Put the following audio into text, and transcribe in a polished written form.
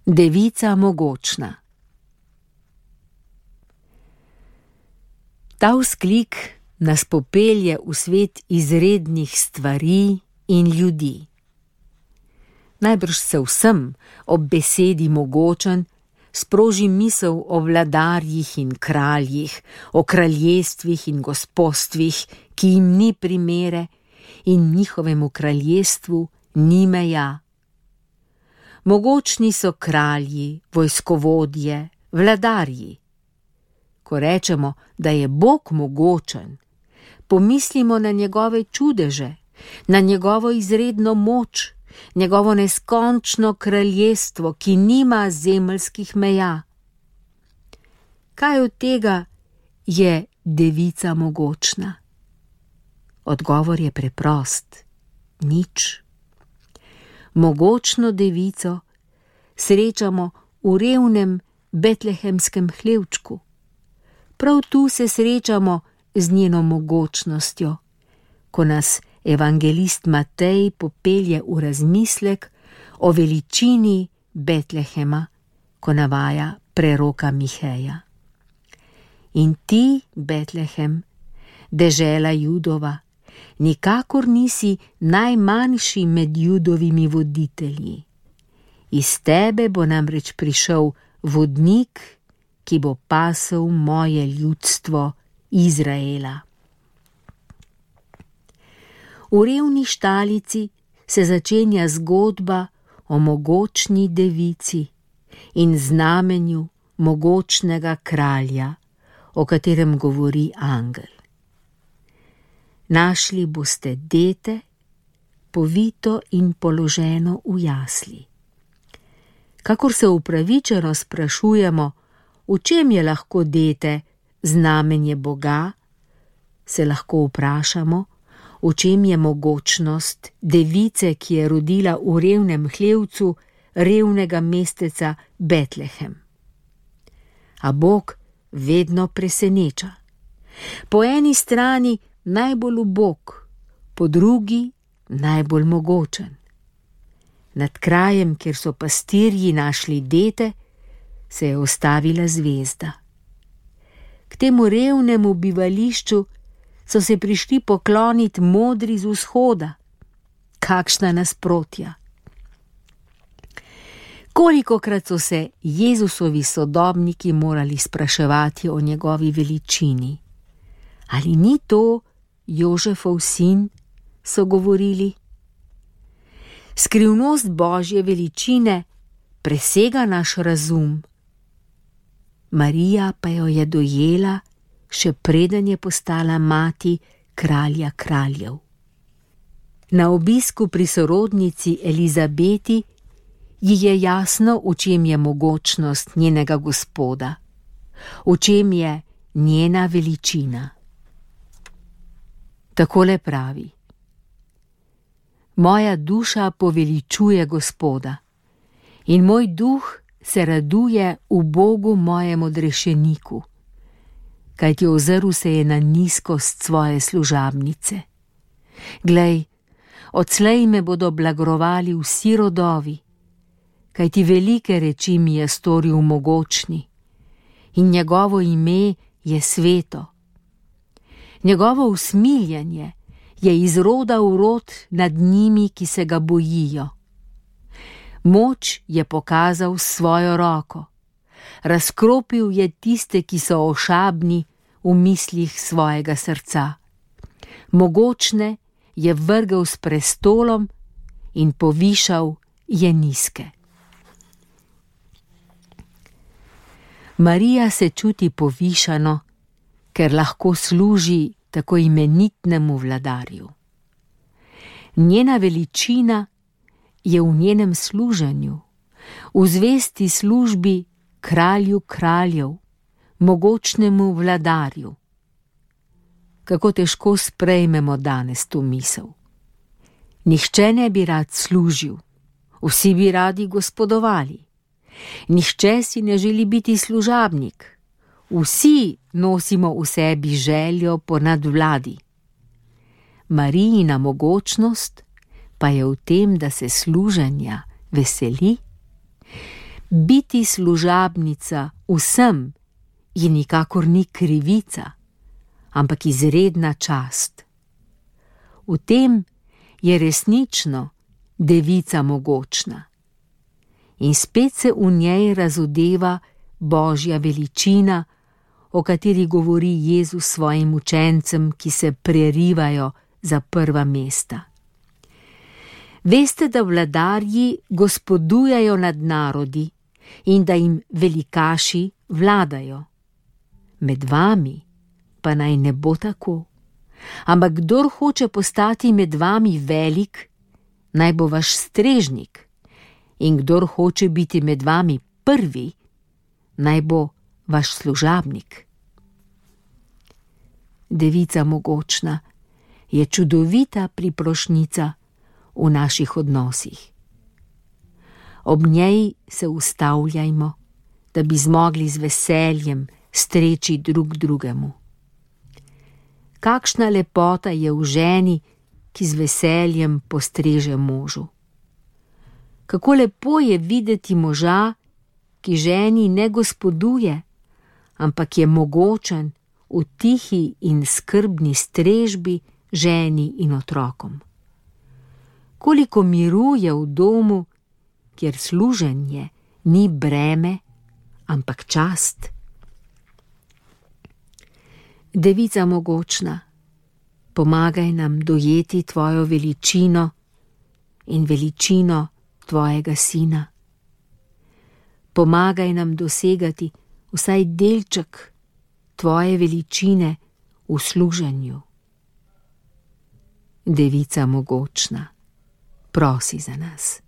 Devica mogočna. Ta vzklik nas popelje v svet izrednih stvari in ljudi. Najbrž se vsem ob besedi mogočen sproži misel o vladarjih in kraljih, o kraljestvih in gospostvih, ki jim ni primere in njihovemu kraljestvu ni meja. Mogočni so kralji, vojskovodje, vladarji. Ko rečemo, da je Bog mogočen, pomislimo na njegove čudeže, na njegovo izredno moč, njegovo neskončno kraljestvo, ki nima zemeljskih meja. Kaj od tega je devica mogočna? Odgovor je preprost: nič. Mogočno devico srečamo v revnem betlehemskem hlevčku. Prav tu se srečamo z njeno mogočnostjo, ko nas evangelist Matej popelje v razmislek o veličini Betlehema, ko navaja preroka Miheja. In ti, Betlehem, dežela Judova, nikakor nisi najmanjši med Judovimi voditelji. Iz tebe bo namreč prišel vodnik, ki bo pasel moje ljudstvo Izraela. V revni štalici se začenja zgodba o mogočni devici in znamenju mogočnega kralja, o katerem govori angel. Našli boste dete, povito in položeno v jasli. Kakor se upravičeno sprašujemo, v čem je lahko dete znamenje Boga, se lahko vprašamo, v čem je mogočnost device, ki je rodila v revnem hlevcu revnega mesteca Betlehem. A Bog vedno preseneča. Po eni strani najbolj ubog, po drugi najbolj mogočen. Nad krajem, kjer so pastirji našli dete, se je ustavila zvezda. K temu revnemu bivališču so se prišli pokloniti modri z vzhoda. Kakšna nasprotja! Kolikokrat so se Jezusovi sodobniki morali spraševati o njegovi veličini. Ali ni to Jožefov sin, so govorili? Skrivnost Božje veličine presega naš razum. Marija pa jo je dojela, še preden je postala mati kralja kraljev. Na obisku pri sorodnici Elizabeti ji je jasno, v čem je mogočnost njenega Gospoda, v čem je njena veličina. Takole pravi: moja duša poveličuje Gospoda in moj duh se raduje v Bogu mojem odrešeniku, kajti ozrl se je na nizkost svoje služabnice. Glej, odslej me bodo blagrovali vsi rodovi, kajti velike reči mi je storil mogočni in njegovo ime je sveto. Njegovo usmiljenje je iz roda v rod nad njimi, ki se ga bojijo. Moč je pokazal s svojo roko, razkropil je tiste, ki so ošabni v mislih svojega srca. Mogočne je vrgel s prestolom in povišal je nizke. Marija se čuti povišano, ker lahko služi tako imenitnemu vladarju. Njena veličina je v njenem služenju, v zvesti službi kralju kraljev, mogočnemu vladarju. Kako težko sprejmemo danes to misel. Nihče ne bi rad služil, vsi bi radi gospodovali. Nihče si ne želi biti služabnik, vsi nosimo v sebi željo po nadvladi. Marijina mogočnost pa je v tem, da se služenja veseli. Biti služabnica vsem je nikakor ni krivica, ampak izredna čast. V tem je resnično devica mogočna. In spet se v njej razodeva Božja veličina, o kateri govori Jezus svojim učencem, ki se prerivajo za prva mesta. Veste, da vladarji gospodujejo nad narodi in da jim velikaši vladajo. Med vami pa naj ne bo tako. Ampak kdor hoče postati med vami velik, naj bo vaš strežnik, in kdor hoče biti med vami prvi, naj bo vaš služabnik. Devica mogočna je čudovita priprošnjica v naših odnosih. Ob njej se ustavljajmo, da bi zmogli z veseljem streči drug drugemu. Kakšna lepota je v ženi, ki z veseljem postreže možu. Kako lepo je videti moža, ki ženi ne gospoduje, ampak je mogočen v tihi in skrbni strežbi ženi in otrokom. Koliko miru je v domu, kjer služenje ni breme, ampak čast. Devica mogočna, pomagaj nam dojeti tvojo veličino in veličino tvojega sina. Pomagaj nam dosegati vsaj delček tvoje veličine v služenju. Devica mogočna, prosi za nas.